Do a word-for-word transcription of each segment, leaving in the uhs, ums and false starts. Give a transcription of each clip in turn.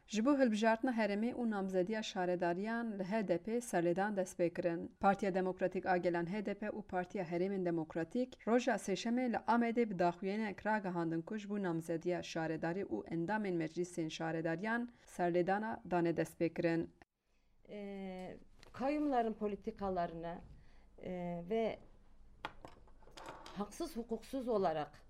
Ji bo hilbijartina herêmê û namzediya şaredariyan li H D P serlêdan dest pê kirin. Partiya Demokratîk a Gelan H D P û Partiya Herêmên Demokratîk roja Sêşemê li Amedê bi daxuyaniyek ragihandin ku ji bo namzediya şaredarî û endamên meclîsên şaredariyan serlêdana dane dest pê kirin. E, kayyumların politikalarını e, ve haksız hukuksuz olarak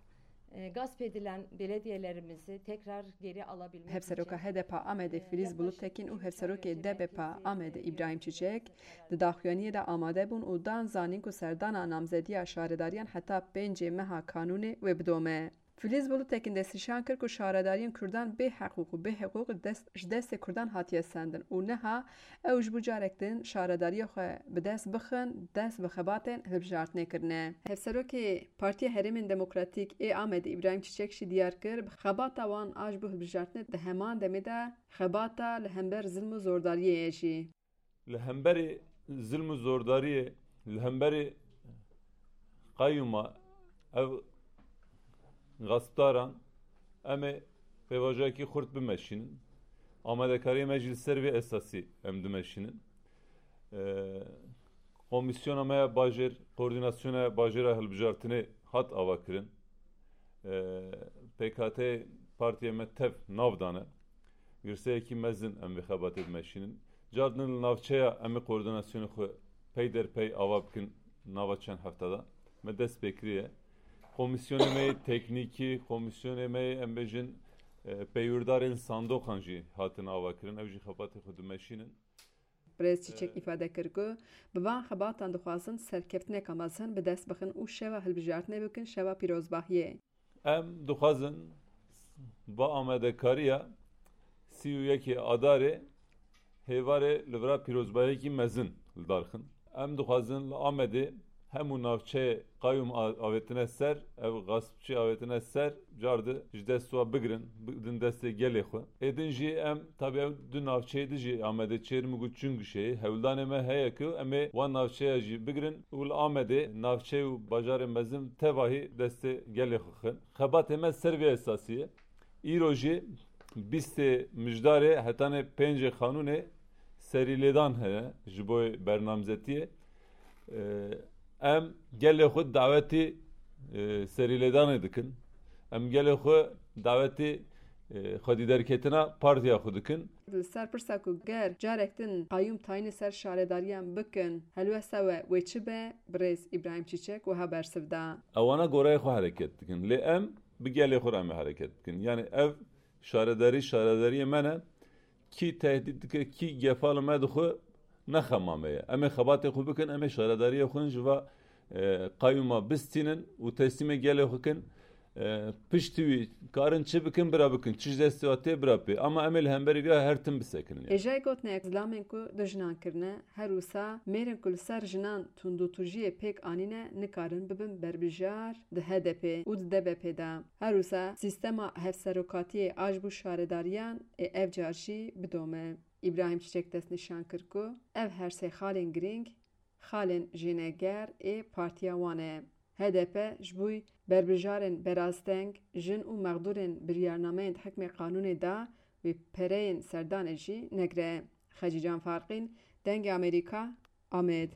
e, gasp edilen belediyelerimizi tekrar geri alabilmek Hevseroka için H D P Amedê Filiz Bulut Tekin û Hevserokê D B P Amedê Îbrahîm Çiçek di daxuyaniyê de amade bûn û dan zanîn ku serdana namzediya şaredariyan heta pêncê meha Kanûnê wê bidome. Filiz Bulut Tekin destnîşan kir ku şaredariyên Kurdan bê heqûq û bê hiqûq dest, ji destê Kurdan hatiye sendin û niha ew ji bo carek din şaredariya xwe bi dest bixin, dest bi xebatên hilbijartinê kirine. Hevserokê Partiya Herêmên Demokratîk ê Amedê Îbrahîm Çiçek jî diyar kir, bi xebata wan a ji bo hilbijartinê di heman demê de xebata li hember zilm û zordariyê ye jî. Li hemberî zilm û zordariyê, li hemberî qeyûma ev gaspdaran em ê pêvajoyekî xurt bimeşînin. Amadekariyê me jî li ser vê esasî em dimeşînin. Ee, Komîsyona me ya bajêr, koordînasyona bajêra hilbijartinê hat avakirin. Ee, P K T partiyê me tev nav dane. Girseyekî mezin em vê xebatê dimeşînin. Cardin li navçeya em ê koordînasyonê xwe pey der pey ava bikin nava çend hefte de. Me dest pê kiriye. Komîsyonê me yê teknîkî, komîsyonê me yê em bêjin, e, peywirdarên sandoqan jî hatin avakirin. Ew jî xebatê xwe dimeşînin. Birêz Çiçek îfade kir ku bi van xebatan dixwazin serkeftineka mezin bi dest bixin û şeva hilbijartinê bikin şeva pîrozbahiyê. Em dixwazin va amadekariya sî û yekê Adarê hêvarê li vira pîrozbahiyekî mezin li dar xin. Em dixwazin li Amedê hemû navçeyê qayûm a-, avêtine ser, ev gaspçî avêtine ser, cardi ji dest wa bigirin, bidin destê gelê xwe. Êdin jî em, tabî ew du navçeyê di jî Amedê çêrim û Çingişeyê, hewldanê me heye ku em ê wan navçeya jî bigirin û li Amedê navçe û bajarê mezin tevahî destê gelê xwe xin. Xebatê me ser vê esasî ye. Îro jî bîstê Mijdarê hetanê pêncê Xanûnê serîlêdan heye ji bo bernamzetiyê. Ee, em gelê xwe dawetî, e, serîlêdanê dikin. Em gelê xwe dawetî, e, xwedîderketina partiya xwe dikin. Li ser pirsa ku ger carek din qayûm tayînê ser şaredariyan bikin, helwesta we wê çi be, birêz Îbrahîm Çîçek wiha bersiv da. Ewana goreyê xwe hereket dikin. Lê em bi gelê xwe re em ê hereket bikin. Yanî ev şaredarî, şaredariyê me ne. Kî tehdît dike, kî gefa li me dixwe, ne xema me ye. Em ê xebatê xwe bikin, em ê şaredariyê xwe ji va, e, qayûma bistînin û teslîmê gelê xwe kin. E, piştî wî karin çi bikin, bira bikin. Çi ji destê we tê, bira pê. Ama em ê li hemberî vê her tim bisekinin. Hêjayê gotinek, zilamên ku du jinan kirine, her wisa mêrên ku li ser jinan tundûtûjiyê pêk anîne, nikarin bibin berbijar di H D P û di D B P de. Her wisa sîstema hevserokatiyê a ji bo şaredariyan ê ev car jî bidome. Îbrahîm Çiçek destnîşan kir ku ev her sê xalên girîng xalên jêneger ê partiya wan e. H D P ji bo berbijarên berasteng, jin û mexdûrên biryarnameyên di hikmê qanûnê de wê pereyên serdanê jî negire. Xecîcan Farqîn, Dengê Amerîka, Amed.